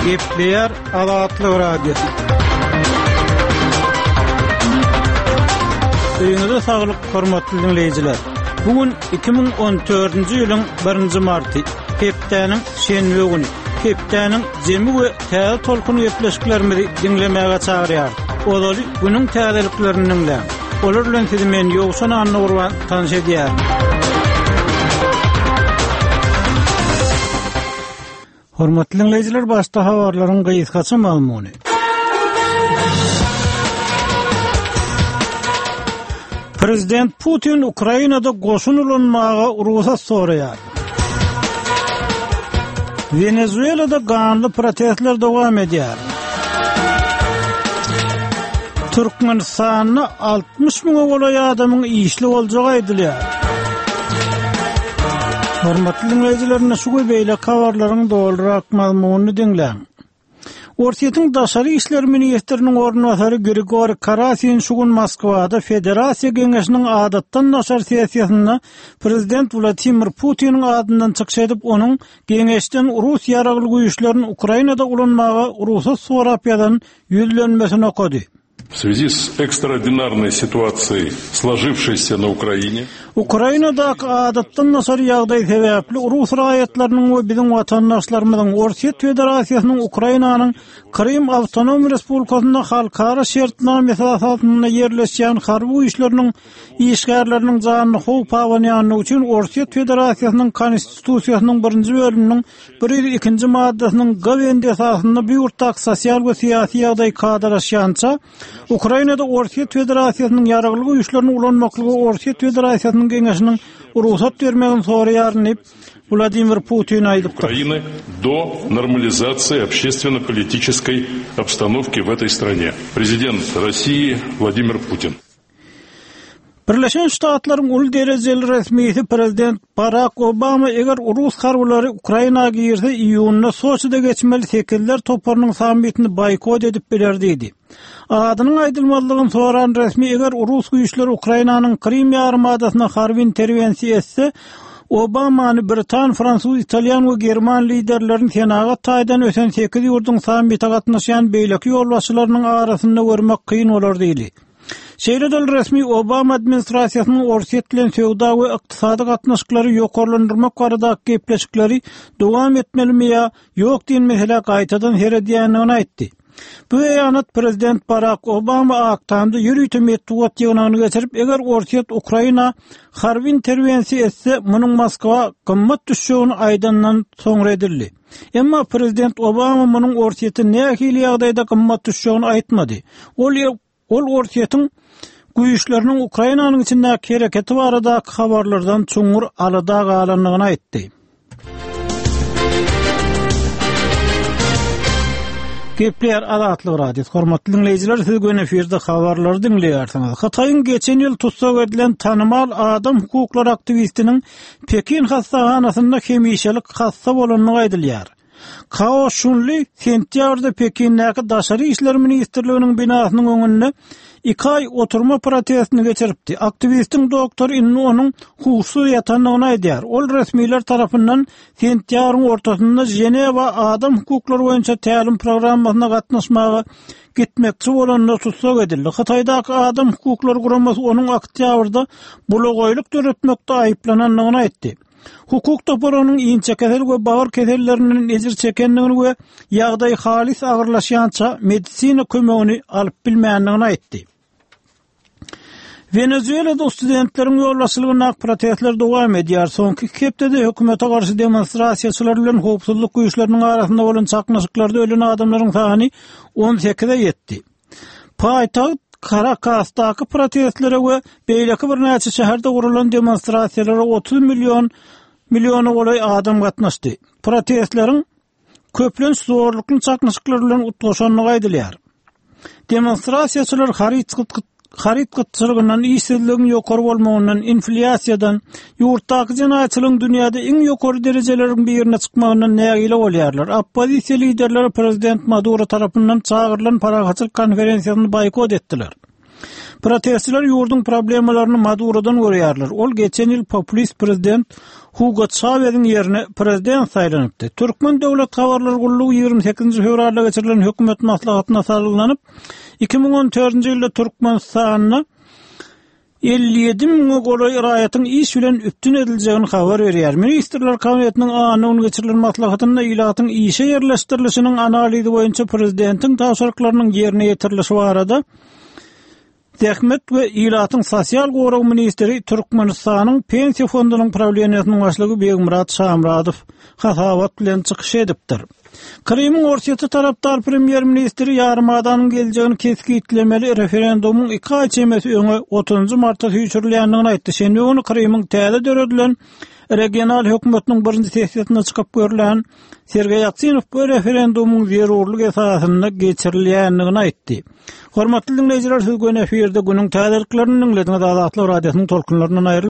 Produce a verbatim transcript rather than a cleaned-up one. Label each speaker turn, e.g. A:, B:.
A: Gepleýär Azatlyk Radiosy. Öýüňize saglyk, hormatly diňleýjiler. Bu gün iki müň on dördünji ýylyň birinji marty, hepdäniň şenbe güni. Hepdäniň jemi we täze tolkun gepleşiklerimizi diňlemäge çagyrýar. Ozaly günüň täzeliklerini diňläň. Olar bilen sizi men Ýowşan Annagurban tanyş edýärin. Hormatly diňleýjiler, başda habarlaryň gysgaça mazmuny. Prezident Putin Ukrainada goşun ulanmaga ruhsat soraýar. Venezuelada ganly protestler dowam edýär. Türkmenistanda altmyş müňe golaý adamyň işli boljagy aýdylýar. Hormatly diňleýjiler, indi şu we beýleki habarlaryň dolurak mazmunyny diňläň. Orsýetiň daşary işler ministriniň orunbasary Grigoriý Karasin şu gün Moskwada Federasiýa Geňeşiniň adatdan daşary sessiýasynda Prezident Wladimir Putiniň adyndan çykyş edip, onuň Geňeşden rus ýaragly güýçlerini Ukrainada ulanmaga ruhsat sorap ýazan ýüzlenmesini okady.
B: В связи с экстраординарной ситуацией, сложившейся на Украине,
A: Ukrainadaky adatdan daşary ýagdaý sebäpli rus raýatlarynyň we biziň watandaşlarymyzyň Orsýet Federasiýasynyň Ukrainanyň Krym Awtonom Respublikasynda halkara şertnamesi esasynda ýerleşýän harby güýçleriniň işgärleriniň janyny howp abanýanlygy üçin Orsýet Federasiýasynyň Konstitusiýasynyň birinji bölüminiň bir ýüz ikinji maddasynyň G bendi esasynda bu ýurtdaky sosial we syýasy ýagdaý kadalaşýança Ukrainada Orsýet Federasiýasynyň ýaragly güýçlerini ulanmaklygy Orsýet Federasiýasynyň Geňeşiniň ruhsat bermegini soraýaryn diýip Wladimir Putin aýdypdyr.
B: Украины до нормализации общественно-политической обстановки в этой стране. Президент России Владимир Путин.
A: Birleşen Ştatlaryň uly derejeli resmisi Prezident Barack Obama eger rus harbylary Ukraina girse iýunda Soçide geçmeli sekizler toparynyň sammitini boýkot edip biler diýdi. Adynyň aýdylmazlygyny soran resmi eger rus güýçleri Ukrainanyň Krym ýarymadasyna harby interwensiýa etse, Obamany Britan, Fransuz, Italýan we German liderlerini senagat taýdan ösen sekiz ýurduň sammite gatnaşýan beýleki ýolbaşçylarynyň arasynda görmek kyn bolar diýdi. Şeýle de resmi Obama administrasiýasynyň Orsýet bilen söwda we ykdysady gatnaşyklary ýokarlandyrmak baradaky gepleşikleri dowam etmelimi ýa ýok diýen mesele gaýtadan seredýändigini aýtdy. Bu beýanat Prezident Barack Obama Ak Tamda ýörite metbugat ýygnagyny geçirip, eger Orsýet Ukraina harby interwensiýa etse, munuň Moskwa gymmat düşjegini aýdandan soňra edildi. Emma Prezident Obama munuň Orsýete nähili ýagdaýda gymmat düşjegini aýtmady. Ol Ol Orsýetiň güýçleriniň Ukrainanyň içindäki hereketi baradaky habarlardan çuňňur alada galandygyny aýtdy. Gepleýär Azatlyk Radiosy. Hormatly diňleýjiler, siz gün efirde habarlary diňleýärsiňiz. Hytaýyň geçen ýyl tussag edilen tanymal adam hukuklary aktiwistiniň Pekin hassahanasynda hemişelik hassa bolandygy aýdylýar. Kao Şunli sentýabrda Pekindäki Daşary işler ministrliginiň binasynyň öňünde iki aý oturma protestini geçiripdi. Aktiwistiň doktory indi onuň huşsuz ýatandygyny aýdýar. Ol resmiler tarapyndan sentýabryň ortasynda Ženewa adam hukuklary boýunça tälim programmasyna gatnaşmaga gitmekçi bolanda tussag edildi. Hytaýdaky adam hukuklary guramasy onuň oktýabrda bulagaýlyk döretmekde aýyplanandygyny aýtdy. Hukuk topary onuň inçe kesel we bagyr kesellerinden ejir çekendigini we ýagdaý halys agyrlaşýança medisina kömegini alyp bilmändigini aýtdy. Venezuelada studentleriň ýolbaşçylygyndaky protestler dowam edýär. Soňky iki hepdede hökümete garşy demonstrasiýaçylar bilen howpsuzlyk güýçleriniň arasynda bolan çaknyşyklarda ölen adamlaryň sany on sekize ýetdi. Paýtagt Karakasdaky protestlere we beýleki birnäçe şäherde gurulan demonstrasiýalara otuz million milliona golaý adam gatnaşdy. Protestleriň köplenç zorlukly çaknyşyklar bilen utgaşandygy aýdylýar. Demonstrasiýaçylar haryt haryt gytçylygyndan, işsizligiň ýokary bolmagyndan, inflýasiýadan, ýurtdaky jenaýatçylygyň dünýäde iň ýokary derejeleriň birine çykmagyndan nägile bolýarlar. Oppozisiýa liderleri Prezident Maduro tarapyndan çagyrylan parahatçylyk konferensiýasyny boýkot etdiler. Protestçiler ýurduň problemalaryny Madurodan görýärler. Ol geçen ýyl populist prezident Hugo Çaweziň ýerine prezident saýlanypdy. Türkmen döwlet habarlar gullugy ýigrimi sekizinji fewralda geçirilen hökümet maslahatyna salgylanyp, iki müň on dördünji ýylda Türkmenistanda elli ýedi müňe golaý raýatyň iş bilen üpjün ediljegini habar berýär. Ministrler Kabinetiniň anna güni geçirilen maslahatynda ilatyň işe ýerleşdirilişiniň analizi boýunça prezidentiň tabşyryklarynyň ýerine ýetirilişi barada Zähmet we ilatyň sosial goragy ministri Türkmenistanyň Pensiýa fondunyň prawleniýesiniň başlygy Begmyrat Şamyradow hasabat bilen çykyş edipdir. Krymyň Orsýete tarapdar premýer-ministri ýarymadanyň geljegini kesgitlemeli referendumyň iki aý çemesi öňe otuzynjy marta süýşürilýändigini aýtdy. Şenbe güni Krymyň täze döredilen regional hökümetiniň birinji sessiýasynda çykyp görlen Sergeý Aksinow bu referendumyň zerurlyk esasynda geçirilýändigini aýtdy. Hormatly diňleýjiler, siz göni efirde günüň täzeliklerini diňlediňiz. Azatlyk Radiosynyň tolkunlaryndan aýryl